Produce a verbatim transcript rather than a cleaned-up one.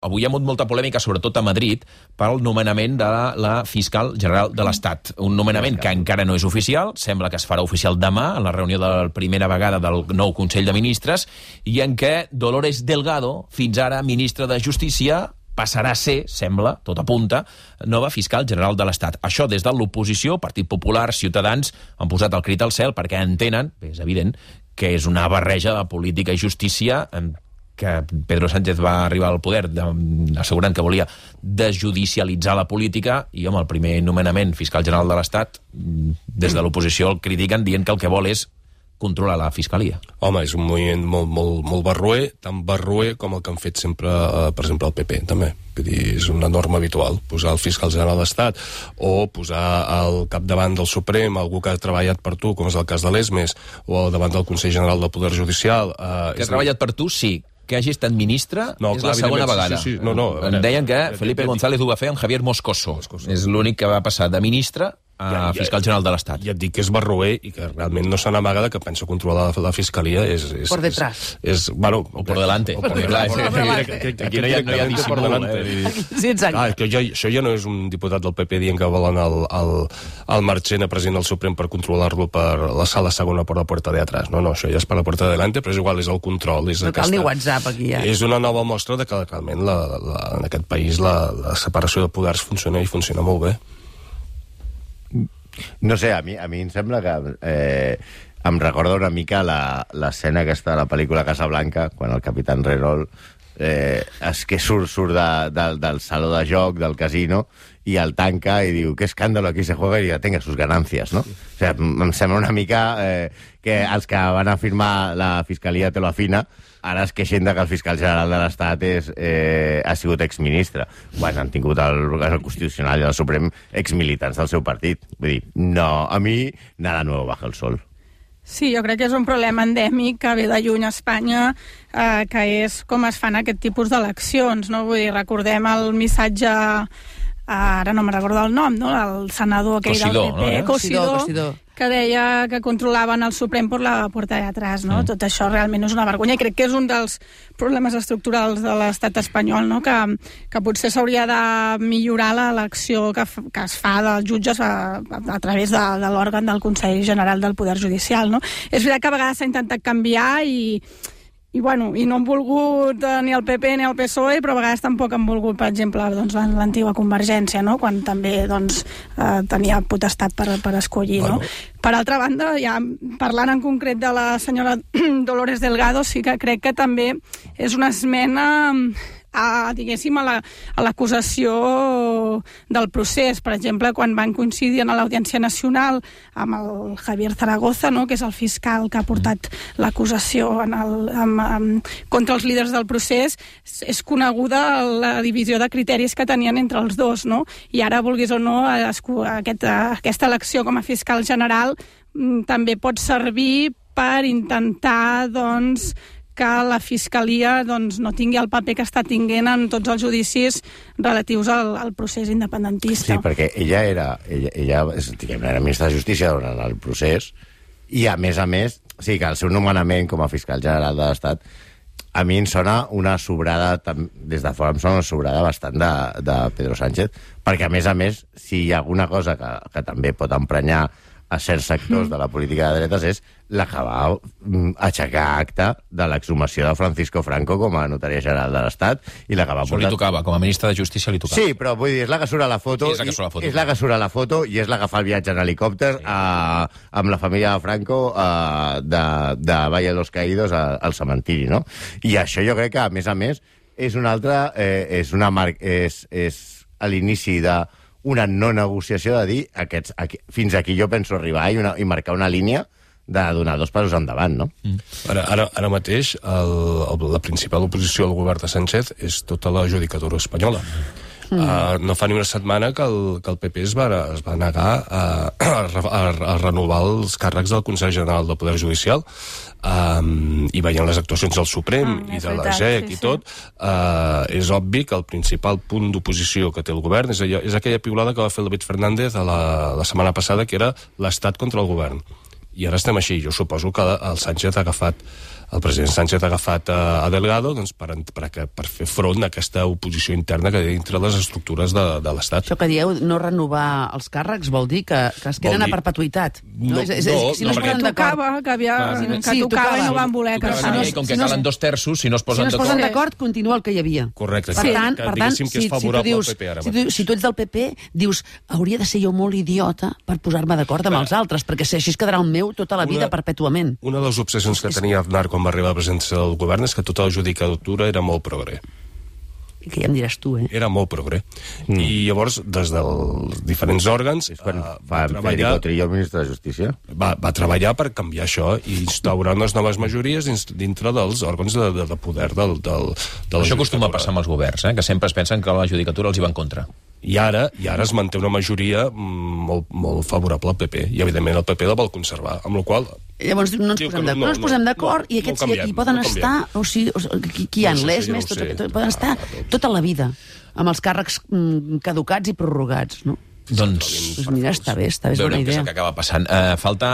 Avui hi ha hagut molta polèmica, sobretot a Madrid, pel nomenament de la, la fiscal general de l'Estat. Un nomenament que encara no és oficial, sembla que es farà oficial demà, en la reunió de la primera vegada del nou Consell de Ministres, i en què Dolores Delgado, fins ara ministra de Justícia, passarà a ser, sembla, tot apunta, nova fiscal general de l'Estat. Això des de l'oposició, Partit Popular, Ciutadans, han posat el crit al cel perquè entenen, bé, és evident, que és una barreja de política i justícia que Pedro Sánchez va arribar al poder assegurant que volia desjudicialitzar la política i amb el primer nomenament fiscal general de l'Estat, des de l'oposició el critiquen dient que el que vol és controlar la Fiscalia. Home, és un moviment molt, molt, molt barroer, tan barroer com el que han fet sempre, eh, per exemple, el P P, també. Vull dir, és una norma habitual, posar el fiscal general de l'Estat o posar al capdavant del Suprem algú que ha treballat per tu, com és el cas de l'Esmes, o al davant del Consell General del Poder Judicial. Eh, que ha treballat per tu, sí. Que hagi estat ministre no, és clar, la segona vegada. Sí, sí. No, no, em deien que Felipe González ho va fer amb Javier Moscoso. Moscoso. És l'únic que va passar de ministre a ja, ja, fiscal general de l'Estat. Ja et dic que és barroer i que realment no se n'amaga que pensa controlar la, la Fiscalia. És, és, por detrás. És, és, bueno, o por delante. O por delante. Aquí no hi ha, no hi ha dissimul. Eh? Sí, exacte. Ah, que jo, això ja no és un diputat del P P dient que volen el, el, el Marchena president del Suprem per controlar-lo per la sala segona per la puerta de atrás. No, no, això ja és per la puerta de delante, però és igual, és el control. És no cal ni WhatsApp aquí, ja. És una nova mostra de que realment la, la, en aquest país la, la separació de poders funciona i funciona molt bé. No sé, a mi, a mi em sembla que eh, em recorda una mica l'escena aquesta de la pel·lícula Casablanca, quan el capitán Renault eh, és que surt, surt de, de, del saló de joc, del casino, i el tanca i diu, qué escándalo, aquí se juega y ya tenga sus ganancias, ¿no? O sea, em sembla una mica eh, que els que van a firmar la Fiscalia te lo afina, ara es queixen que el fiscal general de l'Estat és, eh, ha sigut exministre. Bueno, han tingut el, el Constitucional i el Suprem exmilitants del seu partit. Vull dir, no, a mi nada nuevo bajo el sol. Sí, jo crec que és un problema endèmic que ve de lluny a Espanya, eh, que és com es fan aquest tipus d'eleccions, no? Vull dir, recordem el missatge, ara no me'n recordo el nom, no? El senador aquell del P P, Cosidó, que deia que controlaven el Suprem per la porta de atrás, no? Mm. Tot això realment és una vergonya i crec que és un dels problemes estructurals de l'estat espanyol, no? Que, que potser s'hauria de millorar l'elecció que, que es fa dels jutges a, a, a través de, de l'òrgan del Consell General del Poder Judicial, no? És veritat que a vegades s'ha intentat canviar i I, bueno, i no han volgut eh, ni el P P ni el P S O E, però a vegades tampoc han volgut, per exemple, doncs, l'antiga Convergència, no? Quan també doncs, eh, tenia potestat per, per escollir. Bueno. No? Per altra banda, ja parlant en concret de la senyora Dolores Delgado, sí que crec que també és una esmena a, diguéssim, a l'acusació la, del procés. Per exemple, quan van coincidir a l'Audiència Nacional amb el Javier Zaragoza, no? Que és el fiscal que ha portat l'acusació en el, amb, amb, contra els líders del procés, és coneguda la divisió de criteris que tenien entre els dos, no? I ara, vulguis o no, aquest, aquesta elecció com a fiscal general també pot servir per intentar, doncs, que la Fiscalia doncs, no tingui el paper que està tinguent en tots els judicis relatius al, al procés independentista. Sí, perquè ella era, ella, ella diguem, era ministra de Justícia durant el procés i, a més a més, sí que el seu nomenament com a fiscal general de l'Estat a mi em sona una sobrada, des de fora em sona una sobrada bastant de, de Pedro Sánchez, perquè, a més a més, si hi ha alguna cosa que, que també pot emprenyar a certs sectors de la política de dretes és la que va aixecar acta de l'exhumació de Francisco Franco com a notari general de l'Estat i la que va portar... Això li tocava, com a ministre de Justícia li tocava. Sí, però vull dir, és la que surt a la foto, és la que surt a la foto, és la que surt a la foto i és la que fa el viatge en helicòpter sí. a, amb la família de Franco a, de, de Valle de los Caídos a, al cementiri, no? I això jo crec que, a més a més, és una altra... Eh, és una mar... és, és a l'inici de una no negociació de dir aquests, aquí, fins aquí jo penso arribar i, una, i marcar una línia de donar dos passos endavant, no? Mm. Ara, ara, ara mateix el, el, la principal oposició al govern de Sánchez és tota la judicatura espanyola. Mm. Uh, no fa ni una setmana que el, que el P P es va, es va negar a, a, a, a renovar els càrrecs del Consell General del Poder Judicial um, i veient les actuacions del Suprem mm, i de la G E C sí, i tot, sí. uh, és obvi que el principal punt d'oposició que té el govern és, allò, és aquella piulada que va fer el David Fernández a la, la setmana passada, que era l'Estat contra el govern. I ara estem així. Jo suposo que el Sánchez ha agafat el president Sánchez ha agafat a Delgado doncs, per, per, per fer front a aquesta oposició interna que hi ha dintre les estructures de, de l'Estat. Això que dieu, no renovar els càrrecs, vol dir que, que es queden dir... a perpetuïtat. No, no, és, és, és, si no, no es posen d'acord... Que, havia, Clar, que sí, tocava, tocava i no van voler. Que si no, com que si no, calen dos terços, si no es posen d'acord... Si no es posen d'acord, continua el que hi havia. Correcte. Per Sí. tant, Que, per tant que si, és favorable si, tu dius, al P P ara si, tu, si tu ets del P P, dius, hauria de ser jo molt idiota per posar-me d'acord amb els altres, perquè si així es quedarà el meu tota la vida, una, perpètuament. Una de les obsessions que tenia Aznar quan va arribar a la presidència del govern és que tota la judicatura era molt progre. I que ja em diràs tu, eh? Era molt progre. Mm. I llavors, des dels diferents òrgans... És quan uh, fa Federico Trillo, el ministre de Justícia? Va, va treballar per canviar això i instaurar unes noves majories dins, dintre dels òrgans de, de, de poder del, del, de la Això acostuma a passar amb els governs, eh? Que sempre es pensen que la judicatura els hi va en contra. I ara, i ara es manté una majoria molt, molt favorable al P P, i evidentment el P P la vol conservar, amb la qual cosa... Llavors no ens posem d'acord, no, no ens posem d'acord no, i aquests no canviem, hi poden no estar, o sigui, o sigui qui hi ha, no les sé, més, no tots, sé. tots, poden estar tota la vida, amb els càrrecs mm, caducats i prorrogats, no? Doncs... Doncs mira, està bé, està bé, és bona veurem què és idea. el que acaba passant. Uh, falta